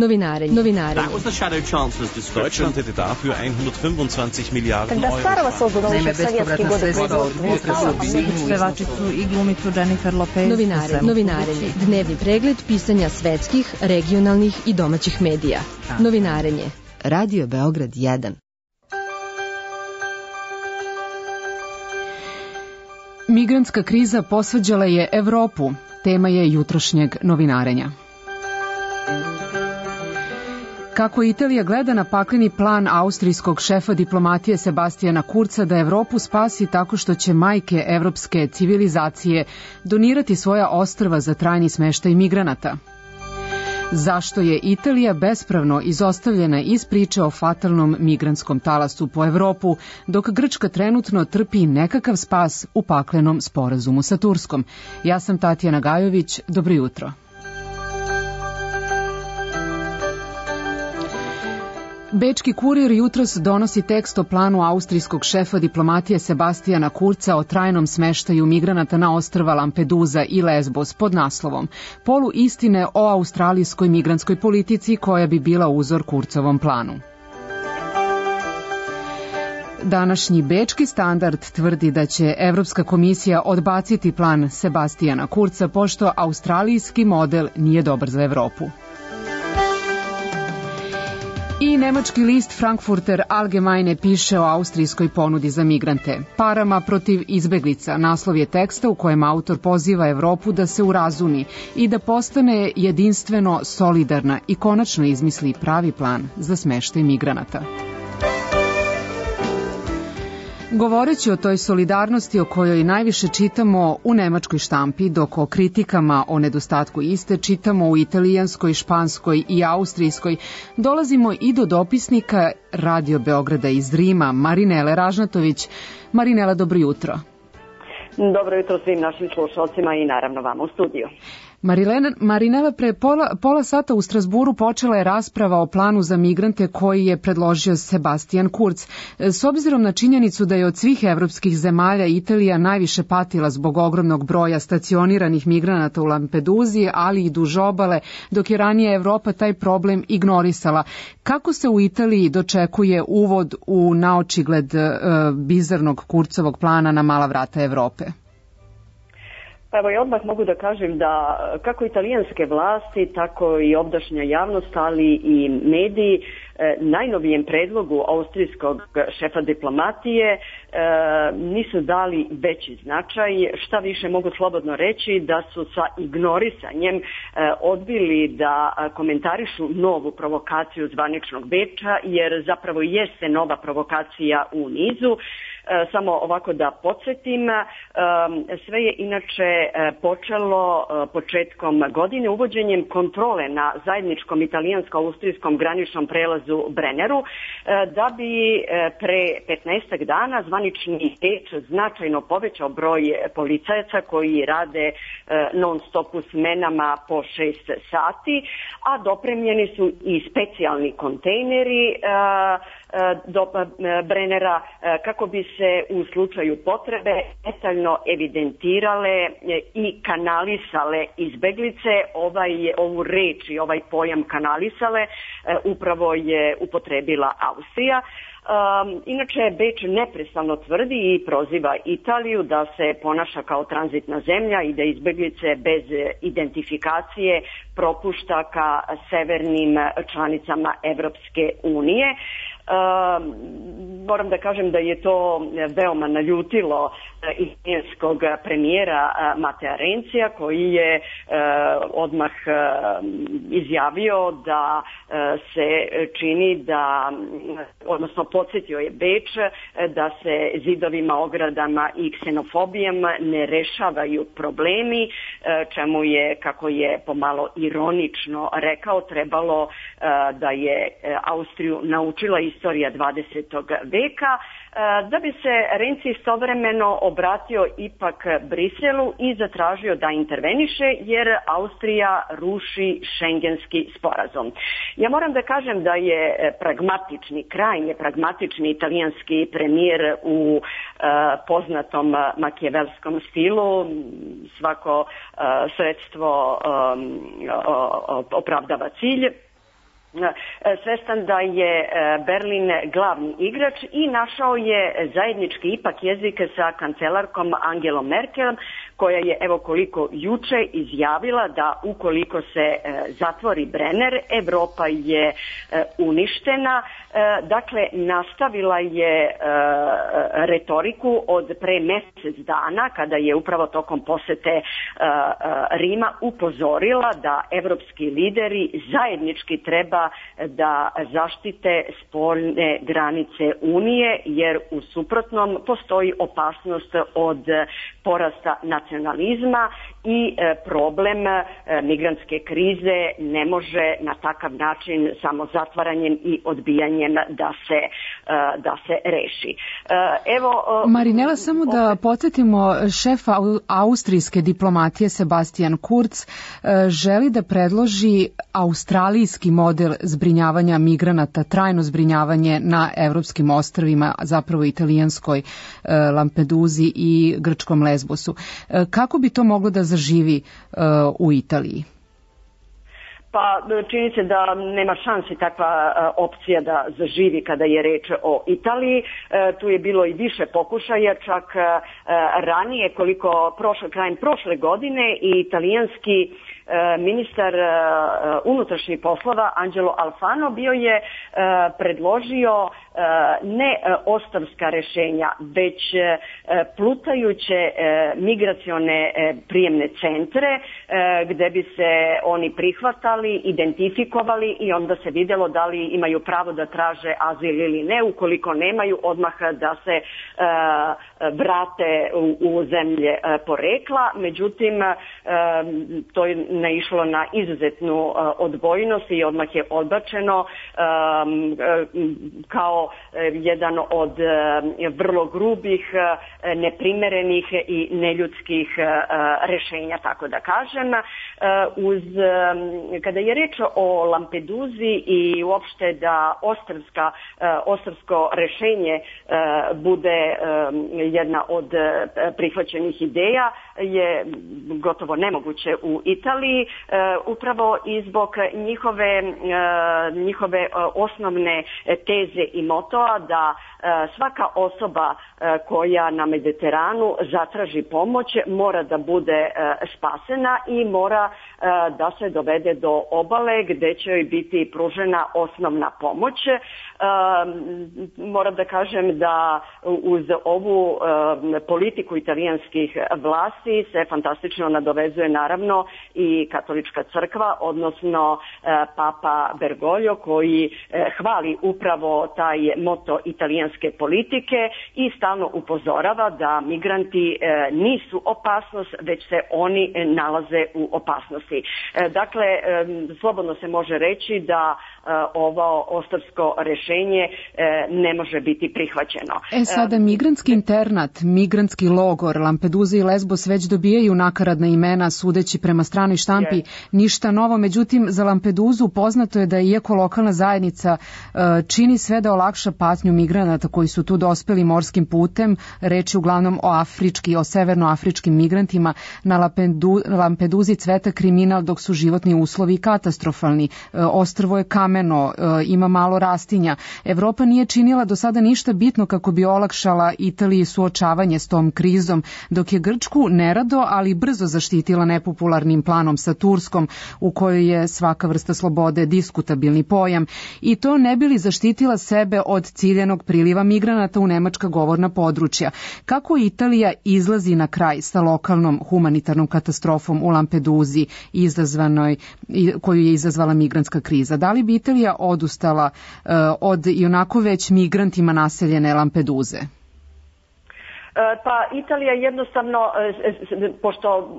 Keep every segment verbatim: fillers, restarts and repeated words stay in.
Novinarenje. Novinarenje. Deutschland hätte dafür hundertfünfundzwanzig Milijarden Euro. Naime, bespovratna sredstva od pevačicu i glumicu Jennifer Lopez. Novinarenje. Novinarenje. Dnevni pregled pisanja svetskih, regionalnih i domaćih medija. Novinarenje. Radio Beograd jedan. Migrantska kriza posvađala je Evropu. Tema je jutrošnjeg novinarenja. Kako Italija gleda na pakleni plan austrijskog šefa diplomatije Sebastijana Kurca da Evropu spasi tako što će majke evropske civilizacije donirati svoja ostrva za trajni smeštaj migranata. Zašto je Italija bespravno izostavljena iz priče o fatalnom migrantskom talasu po Evropu, dok Grčka trenutno trpi nekakav spas u paklenom sporazumu sa Turskom? Ja sam Tatjana Gajović, dobro jutro. Bečki kurir jutros donosi tekst o planu austrijskog šefa diplomatije Sebastijana Kurca o trajnom smeštaju migranata na ostrva Lampedusa i Lesbos pod naslovom Polu istine o australijskoj migrantskoj politici koja bi bila uzor Kurcovom planu. Današnji Bečki standard tvrdi da će Evropska komisija odbaciti plan Sebastijana Kurca pošto australijski model nije dobar za Evropu. I nemački list Frankfurter Allgemeine piše o austrijskoj ponudi za migrante. Parama protiv izbeglica, naslov je teksta u kojem autor poziva Evropu da se urazumi i da postane jedinstveno solidarna i konačno izmisli pravi plan za smeštaj migranata. Govoreći o toj solidarnosti o kojoj najviše čitamo u nemačkoj štampi, dok o kritikama o nedostatku iste čitamo u italijanskoj, španskoj i austrijskoj, dolazimo i do dopisnika Radio Beograda iz Rima, Marinele Ražnatović. Marinela, dobro jutro. Dobro jutro svim našim slušalcima i naravno vama u studiju. Marilena, Marinela, pre pola, pola sata u Strasburu počela je rasprava o planu za migrante koji je predložio Sebastijan Kurz. S obzirom na činjenicu da je od svih evropskih zemalja Italija najviše patila zbog ogromnog broja stacioniranih migranata u Lampeduzi, ali i duž obale, dok je ranije Evropa taj problem ignorisala. Kako se u Italiji dočekuje uvod u naočigled uh, bizarnog Kurcovog plana na mala vrata Evrope? Pa evo ja odmah mogu da kažem da kako italijanske vlasti, tako i ovdašnja javnost, ali i mediji najnovijem predlogu austrijskog šefa diplomatije nisu dali veći značaj, šta više mogu slobodno reći da su sa ignorisanjem odbili da komentarišu novu provokaciju zvaničnog Beča, jer zapravo jeste nova provokacija u nizu. Samo ovako da podsjetim, sve je inače počelo početkom godine uvođenjem kontrole na zajedničkom italijansko-austrijskom graničnom prelazu Brenneru, da bi pre petnaestak dana zvanični Beč značajno povećao broj policajaca koji rade non stop u smenama po šest sati, a dopremljeni su i specijalni kontejneri do Brennera kako bi se u slučaju potrebe detaljno evidentirale i kanalisale izbeglice. Ovaj, ovu reč i ovaj pojam kanalisale upravo je upotrebila Austrija. Um, inače, Beč neprestano tvrdi i proziva Italiju da se ponaša kao tranzitna zemlja i da izbeglice bez identifikacije propušta ka severnim članicama Evropske unije. Uh, moram da kažem da je to veoma naljutilo italijanskog premijera Matea Renzija, koji je uh, odmah uh, izjavio da uh, se čini da, odnosno podsjetio je Beč da se zidovima, ogradama i ksenofobijom ne rešavaju problemi, uh, čemu je, kako je pomalo ironično rekao, trebalo uh, da je Austriju naučila istorija dvadesetog veka, da bi se Renzi istovremeno obratio ipak Briselu i zatražio da interveniše jer Austrija ruši šengenski sporazum. Ja moram da kažem da je pragmatični, krajnje pragmatični italijanski premijer u uh, poznatom makijevelskom stilu. Svako uh, sredstvo um, opravdava cilj. svestan da je Berlin glavni igrač i našao je zajednički ipak jezik sa kancelarkom Angelom Merkel, koja je, evo koliko juče, izjavila da ukoliko se zatvori Brenner, Evropa je uništena. Dakle, nastavila je retoriku od pre mesec dana, kada je upravo tokom posete Rima upozorila da evropski lideri zajednički treba da zaštite spoljne granice Unije, jer u suprotnom postoji opasnost od porasta nacionalizma i problem migrantske krize ne može na takav način samo zatvaranjem i odbijanjem da se, da se reši. Evo, Marinela, samo da podsjetimo, šef austrijske diplomatije Sebastian Kurz želi da predloži australijski model zbrinjavanja migranata, trajno zbrinjavanje na evropskim ostrvima, zapravo italijanskoj Lampeduzi i grčkom Lesbosu. Kako bi to moglo da zaživi u Italiji? Pa čini se da nema šansi takva opcija da zaživi kada je reč o Italiji. Tu je bilo i više pokušaja, čak ranije, koliko prošle, krajem prošle godine, i italijanski ministar unutrašnjih poslova Angelo Alfano bio je predložio ne ostavska rešenja, već plutajuće migracione prijemne centre gde bi se oni prihvatali, identifikovali i onda se videlo da li imaju pravo da traže azil ili ne. Ukoliko nemaju, odmah da se vrate u zemlje porekla. Međutim, to je naišlo na izuzetnu odbojnost i odmah je odbačeno kao jedan od vrlo grubih, neprimerenih i neljudskih rešenja, tako da kažem. Uz, kada je reč o Lampeduzi i uopšte da ostrvska, ostrvsko rešenje bude jedna od prihvaćenih ideja, je gotovo nemoguće u Italiji, upravo i zbog njihove, njihove osnovne teze i motoa da svaka osoba koja na Mediteranu zatraži pomoć mora da bude spasena i mora da se dovede do obale gde će joj biti pružena osnovna pomoć. Moram da kažem da uz ovu politiku italijanskih vlasti se fantastično nadovezuje naravno i katolička crkva, odnosno Papa Bergoglio, koji hvali upravo taj moto italijanske politike i stalno upozorava da migranti nisu opasnost, već se oni nalaze u opasnosti. Dakle, slobodno se može reći da ovo ostrvsko rešenje ne može biti prihvaćeno. E sada, migrantski internat, migrantski logor, Lampedusa i Lesbos već dobijaju nakaradna imena, sudeći prema stranoj štampi, yes. Ništa novo. Međutim, za Lampeduzu poznato je da iako lokalna zajednica čini sve da olakša patnju migranata koji su tu dospeli morskim putem, reč je uglavnom o afrički, o severnoafričkim migrantima, na Lampedu, Lampeduzi cveta kriminal dok su životni uslovi katastrofalni. Ostrvo je kameno, ima malo rastinja. Evropa nije činila do sada ništa bitno kako bi olakšala Italiji suočavanje s tom krizom, dok je Grčku nerado, ali brzo zaštitila nepopularnim planom sa Turskom, u kojoj je svaka vrsta slobode diskutabilni pojam, i to ne bi li zaštitila sebe od ciljenog priliva migranata u nemačka govorna područja. Kako Italija izlazi na kraj sa lokalnom humanitarnom katastrofom u Lampeduzi izazvanoj, koju je izazvala migrantska kriza? Da li bi Italija odustala uh, od i onako već migrantima naseljene Lampeduze? Pa Italija jednostavno, pošto,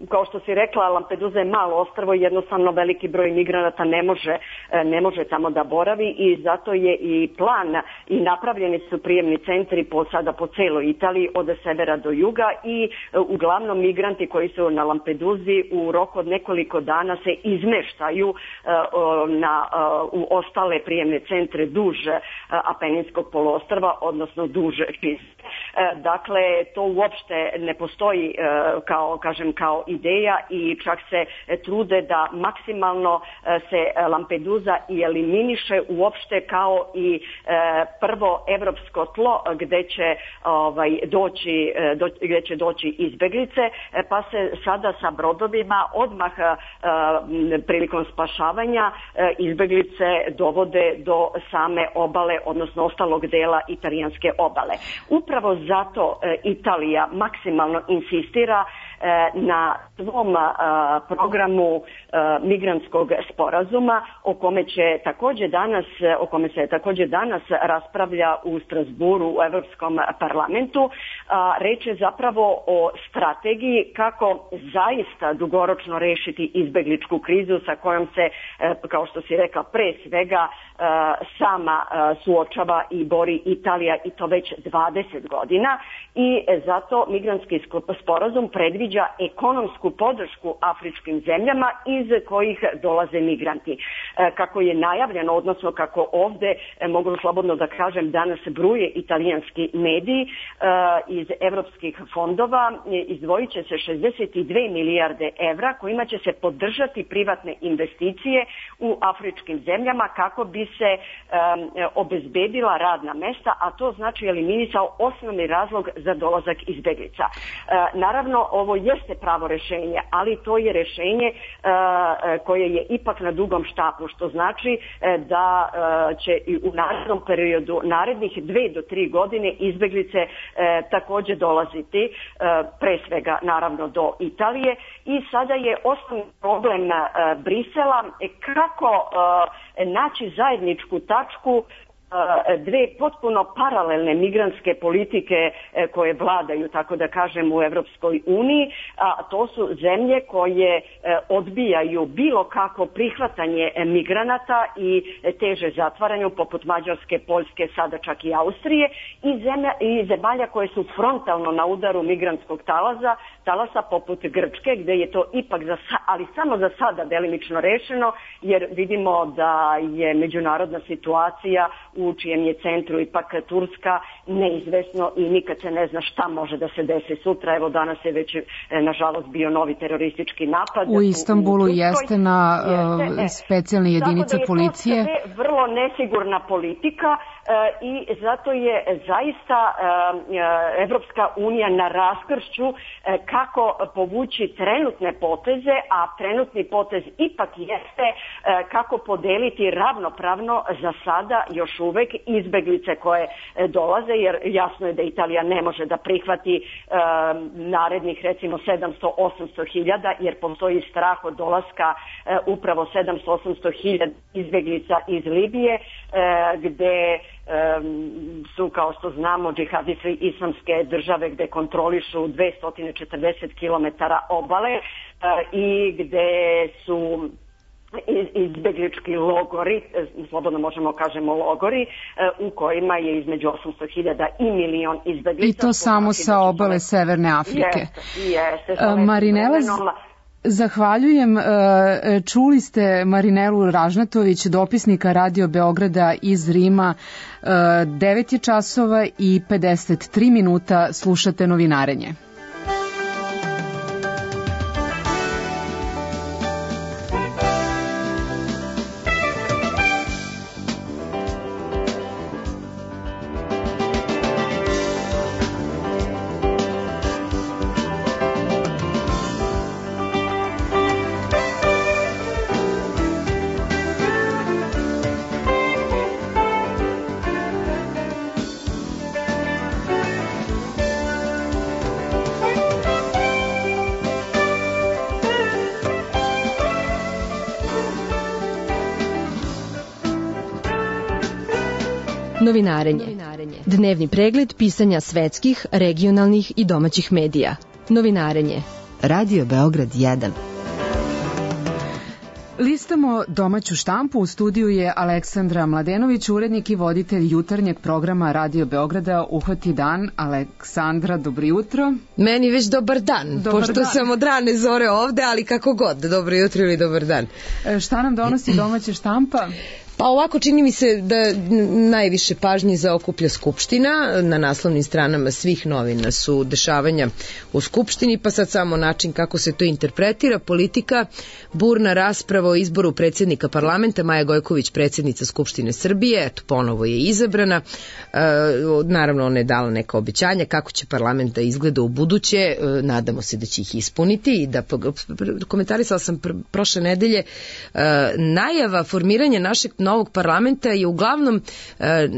kao što si rekla, Lampedusa je malo ostrvo i jednostavno veliki broj migranata ne može, ne može tamo da boravi, i zato je i plan i napravljeni su prijemni centri po, sada po celoj Italiji od severa do juga, i uglavnom migranti koji su na Lampedusi u roku od nekoliko dana se izmeštaju na, u ostale prijemne centre duž Apeninskog poluostrva, odnosno duž Pise. Dakle, to uopšte ne postoji kao, kažem, kao ideja i čak se trude da maksimalno se Lampedusa i eliminiše uopšte kao i prvo evropsko tlo gde će, ovaj, doći, do, gde će doći izbeglice, pa se sada sa brodovima odmah prilikom spašavanja izbeglice dovode do same obale, odnosno ostalog dela italijanske obale. Upravo zato Italija maksimalno insistira na svom programu migrantskog sporazuma o kome će također danas, o kome se također danas raspravlja u Strasburu u Evropskom parlamentu. Reč je zapravo o strategiji kako zaista dugoročno rešiti izbegličku krizu sa kojom se, kao što si rekla, pre svega sama suočava i bori Italija i to već dvadeset godina i zato migrantski sporazum predviđa ekonomsku podršku afričkim zemljama iz kojih dolaze migranti. Kako je najavljeno, odnosno kako ovde, mogu slobodno da kažem, danas bruje italijanski mediji, iz evropskih fondova izdvojit će se šezdeset dve milijarde evra kojima će se podržati privatne investicije u afričkim zemljama kako bi se um, obezbedila radna mesta, a to znači eliminisao osnovni razlog za dolazak izbeglica. Uh, naravno, ovo jeste pravo rešenje, ali to je rešenje uh, koje je ipak na dugom štapu, što znači uh, da uh, će i u narednom periodu, narednih dve do tri godine izbeglice uh, također dolaziti, uh, pre svega naravno do Italije i sada je osnovni problem uh, Brisela kako uh, naći zajedničku tačku dve potpuno paralelne migrantske politike koje vladaju, tako da kažem, u Evropskoj uniji, a to su zemlje koje odbijaju bilo kako prihvatanje migranata i teže zatvaranju, poput Mađarske, Poljske, sada čak i Austrije, i, zemlja, i zemalja koje su frontalno na udaru migrantskog talasa, talasa poput Grčke, gde je to ipak, za, ali samo za sada delimično rešeno, jer vidimo da je međunarodna situacija u čijem je centru ipak Turska neizvesno i nikad se ne zna šta može da se desi sutra. Evo danas je već nažalost bio novi teroristički napad. U Istanbulu u jeste na jeste, uh, specijalne jedinice policije. Tako da je to sve vrlo nesigurna politika uh, i zato je zaista uh, Evropska unija na raskršću uh, kako povući trenutne poteze, a trenutni potez ipak jeste uh, kako podeliti ravnopravno za sada još uvek izbeglice koje dolaze, jer jasno je da Italija ne može da prihvati e, narednih recimo sedamsto osamsto hiljada, jer postoji strah od dolaska e, upravo sedamsto osamsto hiljada izbeglica iz Libije, e, gde e, su, kao što znamo, džihadisti islamske države gde kontrolišu dvesta četrdeset kilometara obale e, i gde su izbeglički logori, slobodno možemo kažemo logori, u kojima je između osamsto hiljada i milion izbeglica. I to samo sa obale Severne Afrike. Jeste, jeste. Marinela, zahvaljujem. Čuli ste Marinelu Ražnatović, dopisnika Radio Beograda iz Rima. devet je časova i pedeset tri minuta, slušate Novinarenje. Novinarenje. Dnevni pregled pisanja svetskih, regionalnih i domaćih medija. Novinarenje. Radio Beograd jedan. Listamo domaću štampu. U studiju je Aleksandra Mladenović, urednik i voditelj jutarnjeg programa Radio Beograda Uhvati dan. Aleksandra, dobro jutro. Meni već dobar dan, dobar pošto dan. Sam od rane zore ovde, ali kako god, dobro jutro ili dobar dan. Šta nam donosi domaća štampa? Pa ovako čini mi se da najviše pažnje zaokuplja Skupština. Na naslovnim stranama svih novina su dešavanja u Skupštini, pa sad samo način kako se to interpretira. Politika, burna rasprava o izboru predsjednika parlamenta, Maja Gojković, predsjednica Skupštine Srbije, eto, ponovo je izabrana. E, naravno, ona je dala neka obećanja kako će parlament da izgleda u buduće. E, nadamo se da će ih ispuniti i da komentarisala sam pr prošle nedelje e, najava formiranja našeg novog parlamenta je uglavnom e,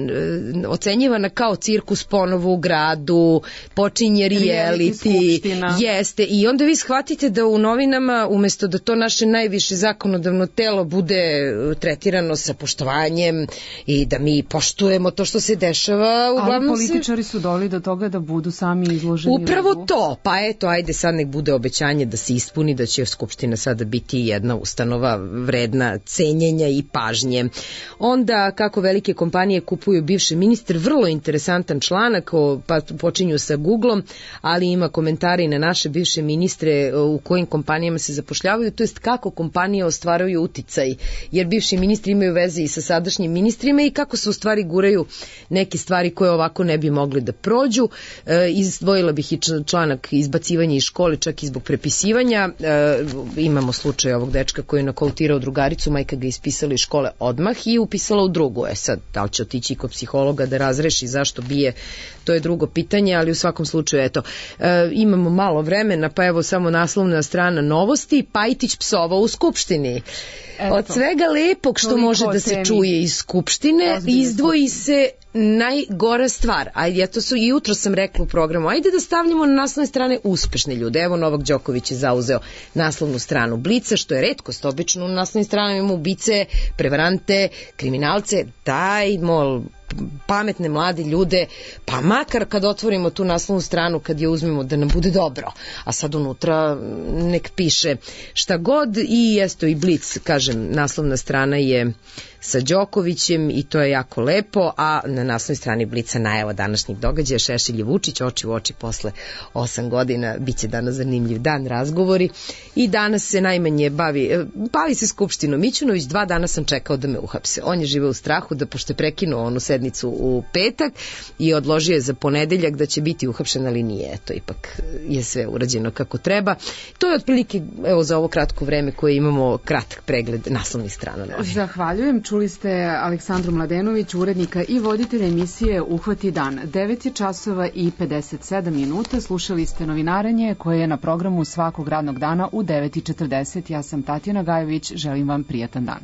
ocenjivana kao cirkus ponovo u gradu, počinje reality, jeste, i onda vi shvatite da u novinama umesto da to naše najviše zakonodavno telo bude tretirano sa poštovanjem i da mi poštujemo to što se dešava, uglavnom ali političari se... su doli do toga da budu sami izloženi. Upravo radu. To, pa eto, ajde sad nek bude obećanje da se ispuni, da će Skupština sada biti jedna ustanova vredna cenjenja i pažnje. Onda kako velike kompanije kupuju bivše ministre, vrlo interesantan članak, pa počinju sa Googlom, ali ima komentari na naše bivše ministre u kojim kompanijama se zapošljavaju, to jest kako kompanije ostvaruju uticaj, jer bivši ministri imaju veze i sa sadašnjim ministrima i kako se u stvari guraju neke stvari koje ovako ne bi mogli da prođu. E, izdvojila bih i članak izbacivanja iz škole, čak i zbog prepisivanja. E, imamo slučaj ovog dečka koji je nakautirao drugaricu, majka ga ispisala iz škole odmah i upisala u drugu. E sad, da li će otići kod psihologa da razreši zašto bije, to je drugo pitanje, ali u svakom slučaju, eto, e, imamo malo vremena, pa evo samo naslovna strana novosti, Pajtić psovao u Skupštini. Eto, od svega lepog što može da se čuje iz Skupštine, izdvoji se najgora stvar. Ajde, ja to su i jutro sam rekla u programu, ajde da stavljamo na naslovne strane uspešne ljude. Evo, Novak Đoković je zauzeo naslovnu stranu Blica, što je retkost, obično na naslovnim stranama imamo ubice, prevarante, kriminalce, dajmo pametne mlade ljude, pa makar kad otvorimo tu naslovnu stranu, kad je uzmemo, da nam bude dobro, a sad unutra nek piše šta god. I jesto i Blic, kažem, naslovna strana je sa Đokovićem i to je jako lepo, a na naslovnoj strani Blica najava današnjih događaja, Šešelj i Vučić oči u oči posle osam godina, bit će danas zanimljiv dan, razgovori. I danas se najmanje bavi, bavi se Skupštinom. Mićunović, dva dana sam čekao da me uhapse. On je živeo u strahu da, pošto je prekinuo onu sednicu u petak i odložio je za ponedeljak da će biti uhapšen, ali nije, eto, ipak je sve urađeno kako treba. To je otprilike, evo, za ovo kratko vreme koje imamo kratak pregled naslovnih strana. Zahvaljujem. Čuli ste Aleksandru Mladenović, urednika i voditelja emisije Uhvati dan. devet je časova i pedeset sedam minuta. Slušali ste Novinaranje koje je na programu svakog radnog dana u devet i četrdeset. Ja sam Tatjana Gajović. Želim vam prijatan dan.